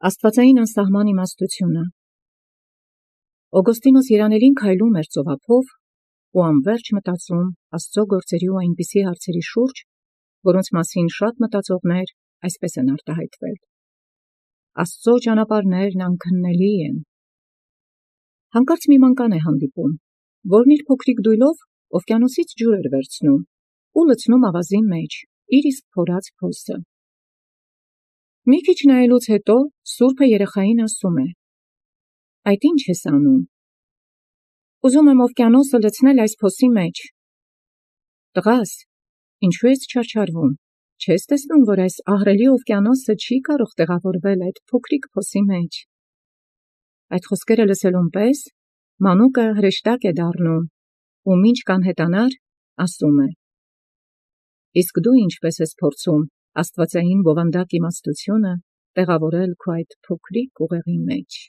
Աստուածային անսահման իմաստութիւնը։ Օգոստինոս երանելին քայլում էր ծովափով ու անվերջ մտածում Աստուծոյ գործերի ու այնպիսի հարցերի շուրջ, որոնց մասին շատ մտածողներ այսպես են արտահայտվել. Աստուծոյ ճանապարհներն անքննելի են։ Հանկարծ մի ման հանդիպում, որն իր փոքրիկ դոյլով օվկիանոսից ջուր էր վերցնում ու լցնում ավազին մեջ իր իսկ փորած փոսը։ Մի քիչ նայելուց հետո սուրբը երեխային ասում է. «Այդ ի՞նչ ես անում»։ «Ուզում եմ օվկիանոսը լցնել այս փոսի մեջ»։ «Տղաս, ինչո՞ւ ես չարչարվում, չես տեսնում, որ այս ահռելի օվկիանոսը չի կարող տեղավորվել այդ փոքրիկ փոսի մեջ»։ Այդ խոսքերը լսելուն պես մանուկը հրեշտակ է դառնում ու մինչ կանհետանար ասում է. «Իսկ դու ի՞նչպես ես փորձում աստուածային բովանդակ իմաստութիւնը տեղավորել քո այդ փոքրիկ ուղեղի մեջ»։